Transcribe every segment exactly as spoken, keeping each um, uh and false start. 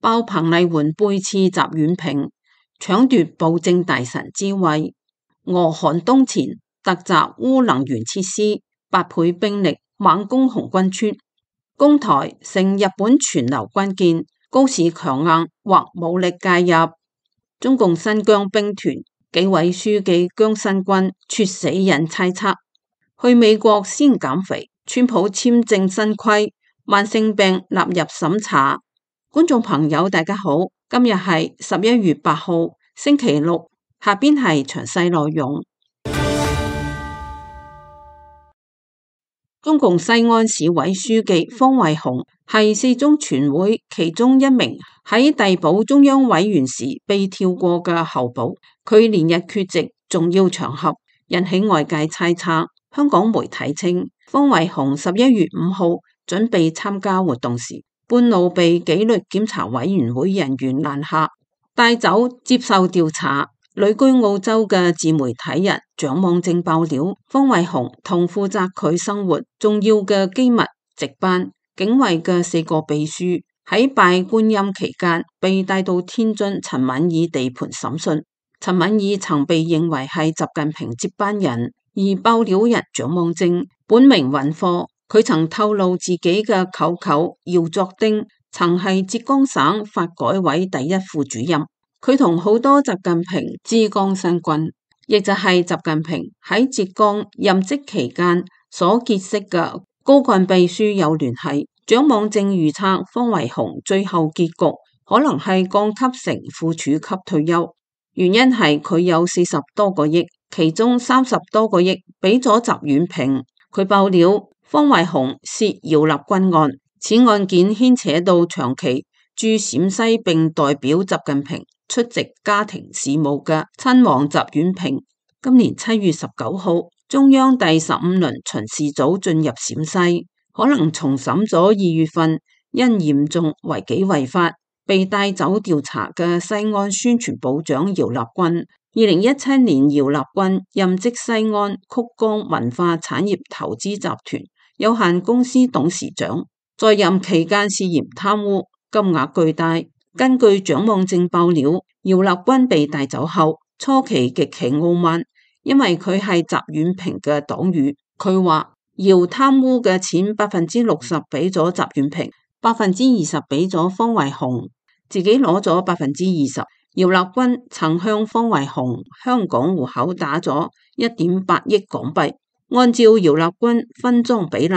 爆彭麗媛背刺習遠平，搶奪暴政大臣之位；俄寒冬前突襲烏能源設施，八倍兵力猛攻紅軍村，攻台成日本全流軍艦，高市強硬或武力介入。中共新疆兵團紀委書記姜新軍猝死引猜測，去美國先減肥，川普簽證新規，慢性病納入審查。觀眾朋友大家好，今日係十一月八號星期六，下邊係詳細內容。中共西安市委書記方偉雄係四中全會其中一名喺遞補中央委員時被跳過嘅候補，佢連日缺席重要場合，引起外界猜測。香港媒體稱，方偉雄十一月五號準備參加活動時，半路被紀律檢查委員會人員攔下，帶走接受調查。旅居澳洲嘅自媒體人蔣望正爆料，方偉雄同負責佢生活重要嘅機密值班警衛嘅四個秘書喺拜觀音期間被帶到天津陳敏爾地盤審訊。陳敏爾曾被認為係習近平接班人，而爆料人蔣望正本名尹科，佢曾透露自己嘅舅舅姚作丁曾係浙江省發改委第一副主任。佢同好多習近平之江新軍，亦就係習近平喺浙江任職期間所結識嘅高幹秘書有聯繫。蔣望正預測方偉雄最後結局可能係降級成副處級退休，原因係佢有四十多個億，其中三十多個億俾咗習遠平。佢爆料方偉雄涉姚立軍案，此案件牽扯到長期駐陝西並代表習近平出席家庭事務嘅親王習遠平。今年七月十九號，中央第十五輪巡視組進入陝西，可能重審咗二月份因嚴重違紀違法被帶走調查嘅西安宣傳部長姚立軍。二零一七年，姚立軍任職西安曲江文化產業投資集團有限公司董事長，在任期間涉嫌貪污，金額巨大。根據蔣望正爆料，姚立軍被帶走後，初期極其傲慢，因為佢係習遠平嘅黨羽。佢話姚貪污嘅錢百分之六十俾咗習遠平，百分之二十俾咗方偉雄，自己攞咗百分之二十。姚立軍曾向方偉雄香港戶口打咗一點八億港幣，按照姚立軍分贓比例，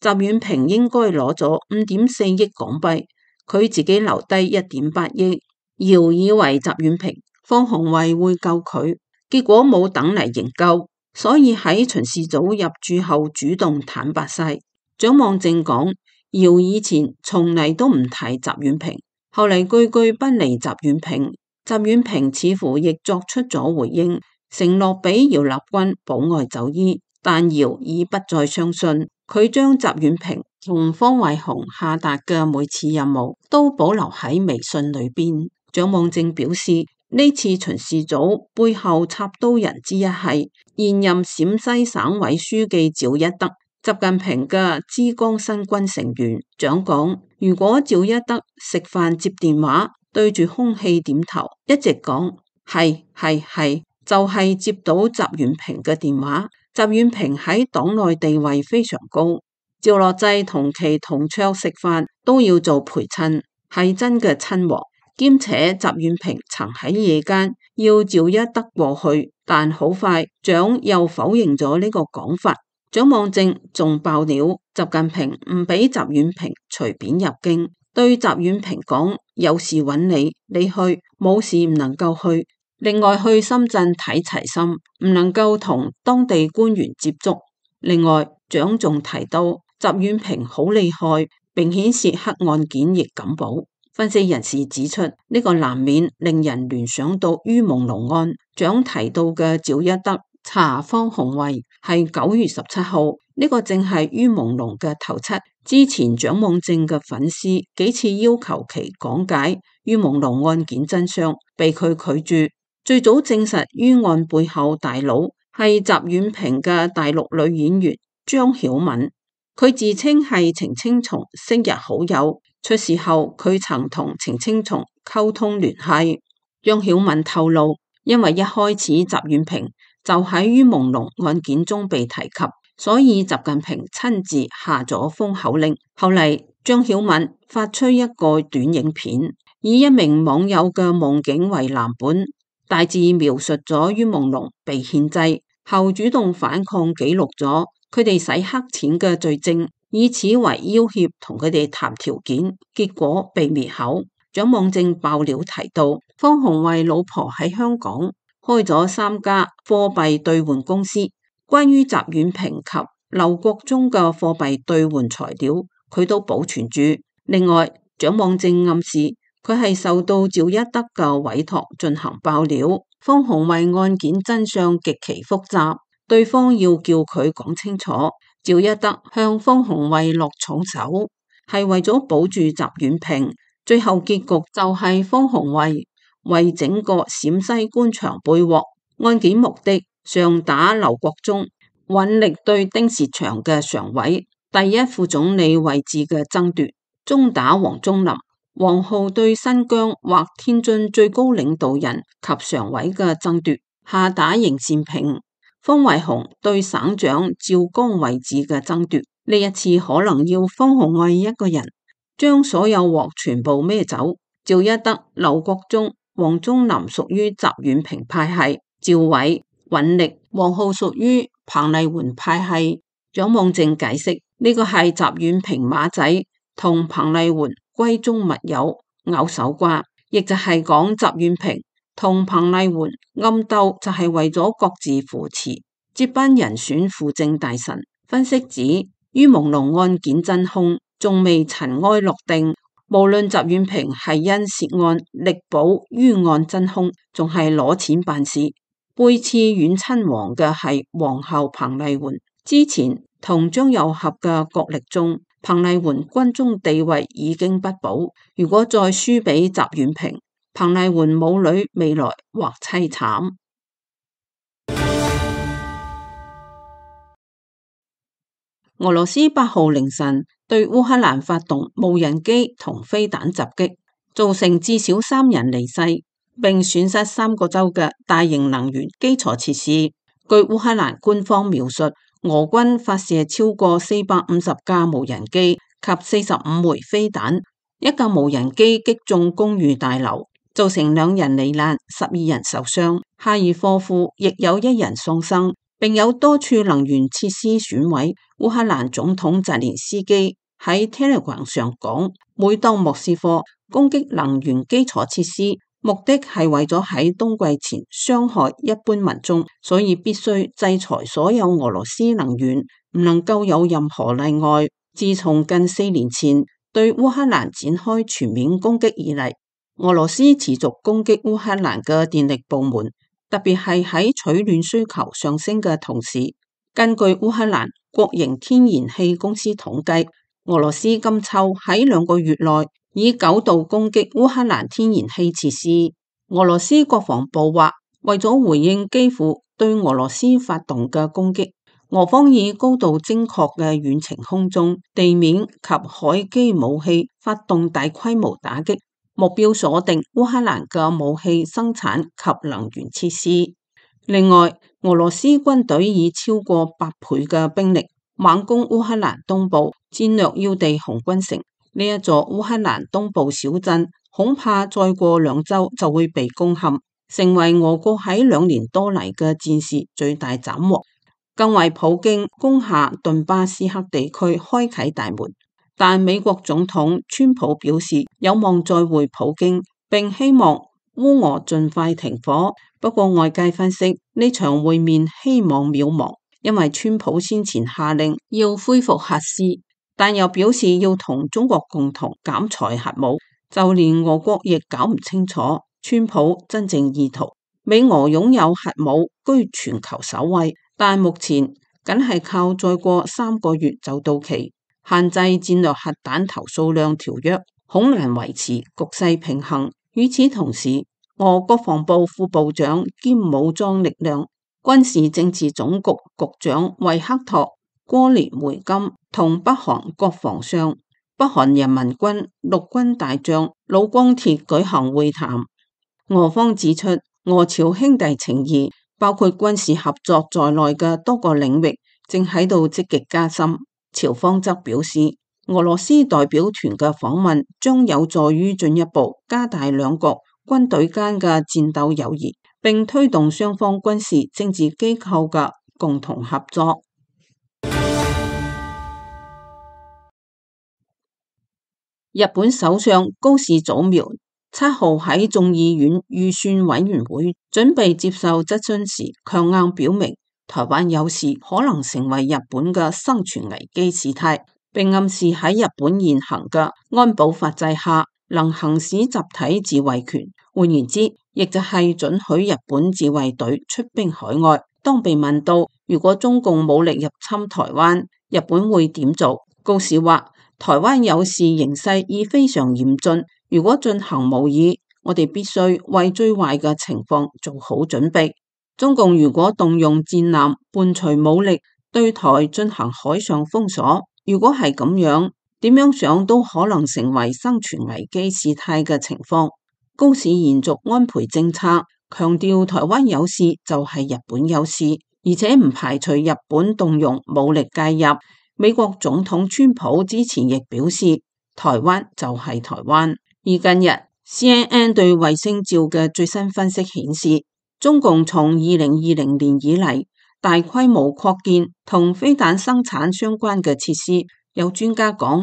習遠平應該攞咗五點四億港幣。佢自己留低一點八億，姚以為習遠平、方鴻惠會救佢，結果冇等嚟營救，所以喺巡視組入駐後主動坦白晒。蔣望正講，姚以前從嚟都唔提習遠平，後嚟句句不離習遠平，習遠平似乎亦作出咗回應，承諾俾姚立軍保外就醫，但姚已不再相信，佢將習遠平同方偉雄下達嘅每次任務都保留喺微信裏邊。蔣望正表示，呢次巡視組背後插刀人之一係現任陝西省委書記趙一德，習近平嘅之江新軍成員。蔣講，如果趙一德食飯接電話，對住空氣點頭，一直講係係係，就係、是、接到習遠平嘅電話。習遠平喺黨內地位非常高。趙樂際同其同桌食飯都要做陪襯，係真嘅親王。兼且習遠平曾喺夜間要趙一德過去，但好快蔣又否認咗呢個講法。蔣望正仲爆料，習近平唔俾習遠平隨便入京，對習遠平講，有事揾你，你去，冇事唔能夠去。另外去深圳睇齊心，唔能夠同當地官員接觸。另外蔣仲提到，習遠平好厲害，並顯示黑案件亦敢保。分析人士指出，呢、這個難免令人聯想到于朦朧案。蔣提到嘅趙一德查方鴻惠係九月十七號，呢、這個正係于朦朧嘅頭七。之前蔣望正嘅粉絲幾次要求其講解于朦朧案件真相，被佢拒絕。最早證實于案背後大佬係習遠平嘅大陸女演員張曉敏。佢自稱係程青松昔日好友，出事後佢曾同程青松溝通聯繫。張曉敏透露，因為一開始習遠平就喺於朦朧案件中被提及，所以習近平親自下咗封口令。後嚟張曉敏發出一個短影片，以一名網友嘅夢境為藍本，大致描述咗於朦朧被獻祭後主動反抗，記錄咗佢哋洗黑錢嘅罪證，以此為要挾同佢哋談條件，結果被滅口。蔣望正爆料提到，方鴻慧老婆喺香港開咗三家貨幣兌換公司，關於習遠平及劉國中嘅貨幣兌換材料，佢都保存住。另外，蔣望正暗示佢係受到趙一德嘅委託進行爆料。方鴻慧案件真相極其複雜，對方要叫佢講清楚。趙一德向方鴻慧落重手，係為咗保住習遠平。最後結局就係方鴻慧為整個陝西官場背鍋，案件目的上打劉國中，揾力對丁薛祥嘅常委、第一副總理位置嘅爭奪，中打王忠林、王浩對新疆或天津最高領導人及常委嘅爭奪，下打邢善平、方偉雄對省長趙剛位置嘅爭奪。呢一次可能要方鴻慧一個人將所有鑊全部孭走。趙一德、劉國中、王忠林屬於習遠平派系，趙偉、尹力、王浩屬於彭麗媛派系。蔣望正解釋，呢個係習遠平馬仔同彭麗媛閨中密友拗手瓜，亦就係講習遠平同彭麗媛暗鬥就係為咗各自扶持接班人選輔政大臣。分析指，於朦朧案件真兇仲未塵埃落定，無論習遠平係因涉案力保於案真兇，仲係攞錢辦事，背刺遠親王嘅係皇后彭麗媛。之前同張又俠嘅角力中，彭麗媛軍中地位已經不保，如果再輸俾習遠平，彭麗媛母女未來或凄慘。俄羅斯八號凌晨對烏克蘭發動無人機同飛彈襲擊，造成至少三人離世，並損失三個州嘅大型能源基礎設施。據烏克蘭官方描述，俄軍發射超過四百五十架無人機及四十五枚飛彈，一架無人機擊中公寓大樓，造成兩人罹難，十二人受傷。哈爾科夫亦有一人喪生，並有多處能源設施損毀。烏克蘭總統澤連斯基喺 Telegram 上講，每當莫斯科攻擊能源基礎設施，目的係為咗喺冬季前傷害一般民眾，所以必須制裁所有俄羅斯能源，唔能夠有任何例外。自從近四年前對烏克蘭展開全面攻擊以嚟，俄羅斯持續攻擊烏克蘭嘅電力部門，特別係喺取暖需求上升嘅同時。根據烏克蘭國營天然氣公司統計，俄羅斯今秋喺兩個月內以九度攻擊烏克蘭天然氣設施。俄羅斯國防部話，為咗回應基輔對俄羅斯發動嘅攻擊，俄方以高度精確嘅遠程空中、地面及海基武器發動大規模打擊，目標鎖定烏克蘭嘅武器生產及能源設施。另外，俄羅斯軍隊以超過百倍嘅兵力猛攻烏克蘭東部戰略要地紅軍城。呢一座烏克蘭東部小鎮恐怕再過兩周就會被攻陷，成為俄國喺兩年多嚟嘅戰事最大斬獲，更為普京攻下頓巴斯克地區開啟大門。但美國總統川普表示有望再會普京，並希望烏俄盡快停火。不過外界分析呢場會面希望渺茫，因為川普先前下令要恢復核試，但又表示要同中國共同減裁核武，就連俄國亦搞唔清楚川普真正意圖。美俄擁有核武居全球首位，但目前僅係靠再過三個月就到期限制戰略核彈頭數量條約，恐難維持局勢平衡。與此同時，俄國防部副部長兼武裝力量軍事政治總局局長維克托哥連梅金同北韓國防相、北韓人民軍陸軍大將老光鐵舉行會談。俄方指出，俄朝兄弟情誼包括軍事合作在內嘅多個領域正喺度積極加深。朝方則表示，俄羅斯代表團嘅訪問將有助於進一步加大兩國軍隊間嘅戰鬥友誼，並推動雙方軍事政治機構嘅共同合作。日本首相高市早苗七號喺眾議院預算委員會準備接受質詢時，強硬表明台灣有事可能成為日本嘅生存危機事態，並暗示喺日本現行嘅安保法制下能行使集體自衛權。換言之，亦就係准許日本自衛隊出兵海外。當被問到如果中共武力入侵台灣，日本會點做？高市話：台灣有事形勢已非常嚴峻，如果進行模擬，我哋必須為最壞嘅情況做好準備。中共如果動用戰艦伴隨武力對台進行海上封鎖，如果係咁樣，點樣想都可能成為生存危機事態嘅情況。高市延續安倍政策，強調台灣有事就係日本有事，而且唔排除日本動用武力介入。美國總統川普之前亦表示，台灣就係台灣。而近日 C N N 對衛星照嘅最新分析顯示，中共從二零二零年以嚟大規模擴建同飛彈生產相關嘅設施。有專家講，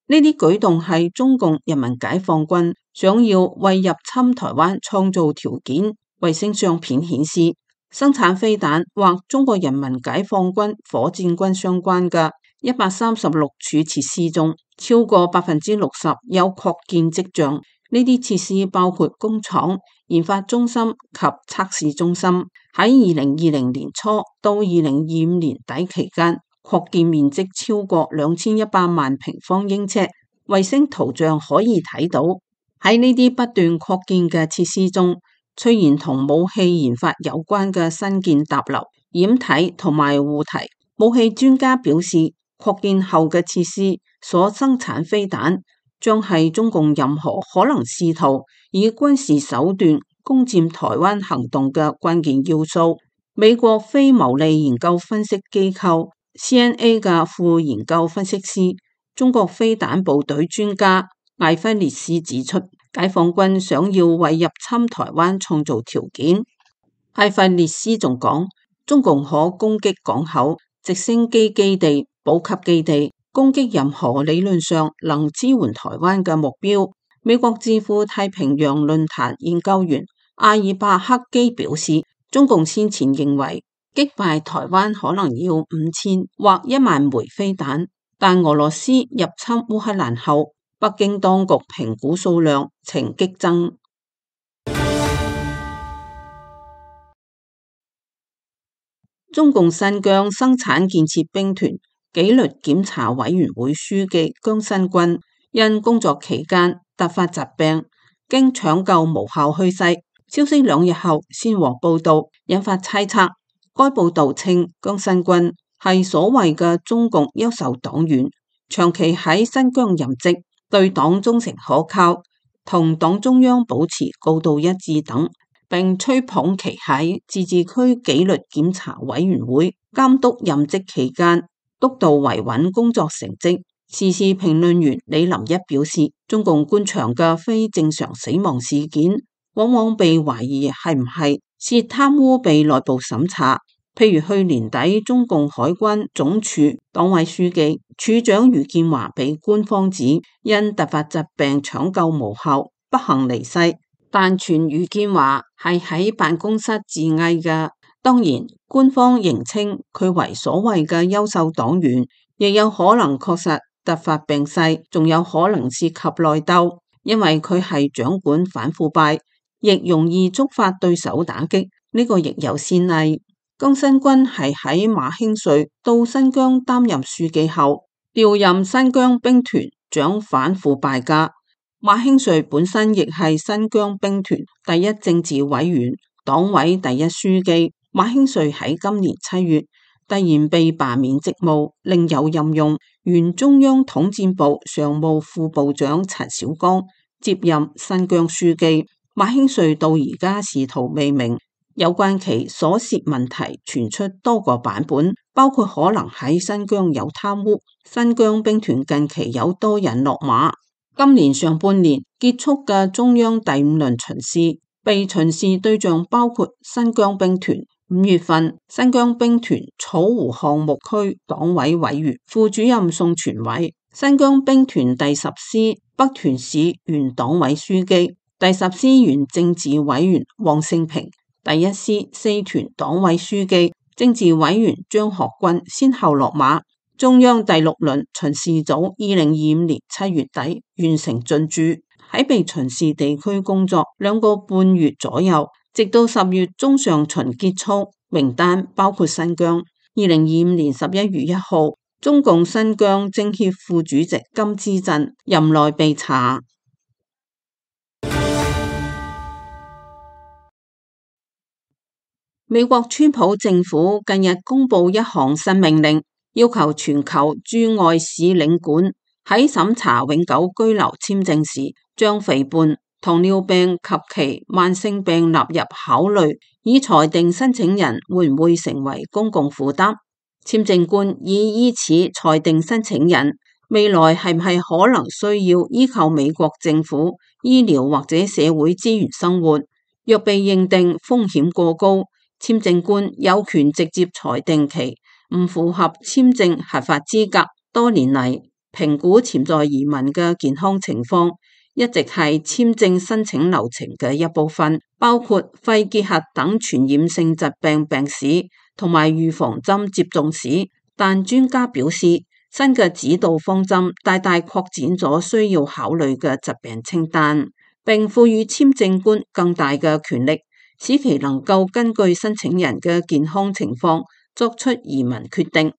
呢啲舉動係中共人民解放軍想要為入侵台灣創造條件。衛星相片顯示，生產飛彈或中國人民解放軍火箭軍相關嘅一百三十六處設施中，超過百分之六十有擴建跡象。呢啲設施包括工廠、研發中心及測試中心。喺二零二零年初到二零二五年底期間，擴建面積超過兩千一百萬平方英尺。衛星圖像可以睇到，喺呢啲不斷擴建嘅設施中，出現同武器研發有關嘅新建搭樓、掩體同埋護體。武器專家表示，擴建後嘅設施所生產飛彈將係中共任何可能試圖以軍事手段攻佔台灣行動嘅關鍵要素。美國非牟利研究分析機構 C N A 嘅副研究分析師、中國飛彈部隊專家艾弗列斯指出，解放軍想要為入侵台灣創造條件。艾弗列斯仲講，中共可攻擊港口、直升機基地、補給基地，攻擊任何理論上能支援台灣嘅目標。美國智庫太平洋論壇研究員阿爾伯克基表示，中共先前認為擊敗台灣可能要五千或一萬枚飛彈，但俄羅斯入侵烏克蘭後，北京當局評估數量呈激增。中共新疆生產建設兵團紀律檢查委員會書記姜新軍因工作期間突發疾病，經搶救無效去世。消息兩日後先獲報道，引發猜測。該報道稱姜新軍係所謂嘅中共優秀黨員，長期喺新疆任職，對黨忠誠可靠，同黨中央保持高度一致等，並吹捧其喺自治區紀律檢查委員會監督任職期間督導維穩工作成績。時事評論員李林一表示，中共官場嘅非正常死亡事件往往被懷疑係唔係涉貪污被內部審查，譬如去年底中共海關總署黨委書記、處長余建華被官方指因突發疾病搶救無效不幸離世，但傳余建華係喺辦公室自縊嘅。當然，官方仍稱佢為所謂嘅優秀黨員，亦有可能確實突發病逝，仲有可能涉及內鬥，因為佢係掌管反腐敗，亦容易觸發對手打擊，呢、這個亦有先例。姜新軍係喺馬興瑞到新疆擔任書記後，調任新疆兵團掌反腐敗嘅。馬興瑞本身亦係新疆兵團第一政治委員、黨委第一書記。馬興瑞喺今年七月突然被罷免職務，另有任用原中央統戰部常務副部長陳小江接任新疆書記。馬興瑞到而家仕途未明，有關其所涉問題傳出多個版本，包括可能喺新疆有貪污。新疆兵團近期有多人落馬。今年上半年結束嘅中央第五輪巡視，被巡視對象包括新疆兵團。五月份，新疆兵團草湖項目區黨委委員、副主任宋傳偉，新疆兵團第十師北屯市原黨委書記、第十師原政治委員王勝平，第一師四屯黨委書記、政治委員張學軍先後落馬。中央第六輪巡視組二零二五年七月底完成進駐，喺被巡視地區工作兩個半月左右，直到十月中上旬結束。名單包括新疆。二零二五年十一月一號，中共新疆政協副主席金之鎮任內被查。美國川普政府近日公布一項新命令，要求全球駐外使領館喺審查永久居留簽證時，將肥胖、糖尿病及其慢性病納入考慮，以裁定申請人會唔會成為公共負擔。簽證官已依此裁定申請人未來係唔係可能需要依靠美國政府醫療或者社會資源生活。若被認定風險過高，簽證官有權直接裁定其唔符合簽證合法資格。多年嚟，評估潛在移民嘅健康情況一直係簽證申請流程嘅一部分，包括肺結核等傳染性疾病病史同埋預防針接種史。但專家表示，新嘅指導方針大大擴展咗需要考慮嘅疾病清單，並賦予簽證官更大嘅權力，使其能夠根據申請人嘅健康情況作出移民決定。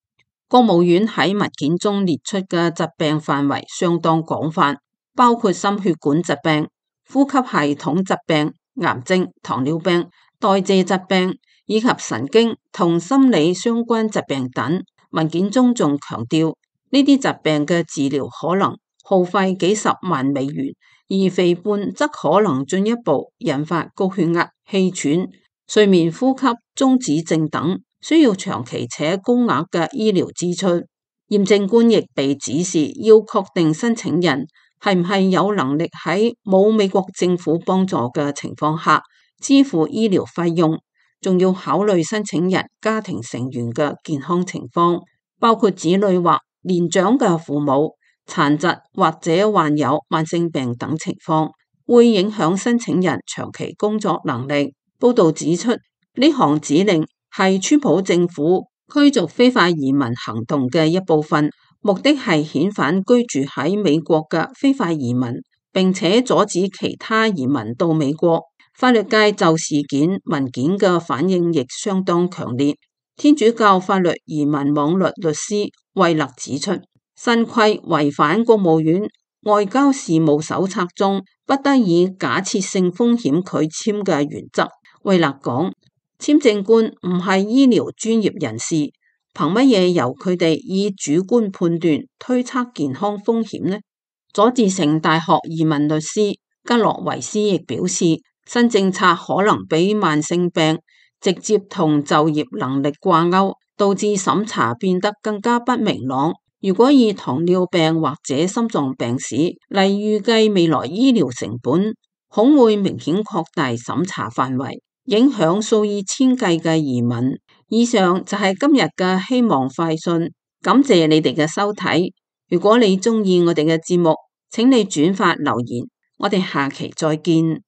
國務院喺文件中列出嘅疾病範圍相當廣泛，包括心血管疾病、呼吸系統疾病、癌症、糖尿病、代謝疾病以及神經同心理相關疾病等。文件中仲強調，呢啲疾病嘅治療可能耗費幾十萬美元，而肥胖則可能進一步引發高血壓、氣喘、睡眠呼吸中止症等，需要長期且高額嘅醫療支出。驗證官亦被指示要確定申請人係唔係有能力喺冇美國政府幫助嘅情況下支付醫療費用，仲要考慮申請人家庭成員嘅健康情況，包括子女或年長嘅父母、殘疾或者患有慢性病等情況，會影響申請人長期工作能力。報道指出，呢項指令係川普政府驅逐非法移民行動嘅一部分，目的係遣返居住喺美國嘅非法移民，並且阻止其他移民到美國。法律界就事件文件嘅反應亦相當強烈。天主教法律移民網絡律師惠勒指出，新規違反國務院外交事務手冊中不得以假設性風險拒簽嘅原則。惠勒講，簽證官唔係醫療專業人士，憑乜嘢由佢哋以主觀判斷推測健康風險呢？佐治城大學移民律師吉洛維斯亦表示，新政策可能比慢性病直接同就業能力掛鈎，導致審查變得更加不明朗。如果以糖尿病或者心臟病史嚟預計未來醫療成本，恐會明顯擴大審查範圍，影響數以千計嘅移民。以上就係今日嘅希望快訊，感謝你哋嘅收睇。如果你鍾意我哋嘅節目，請你轉發留言，我哋下期再見。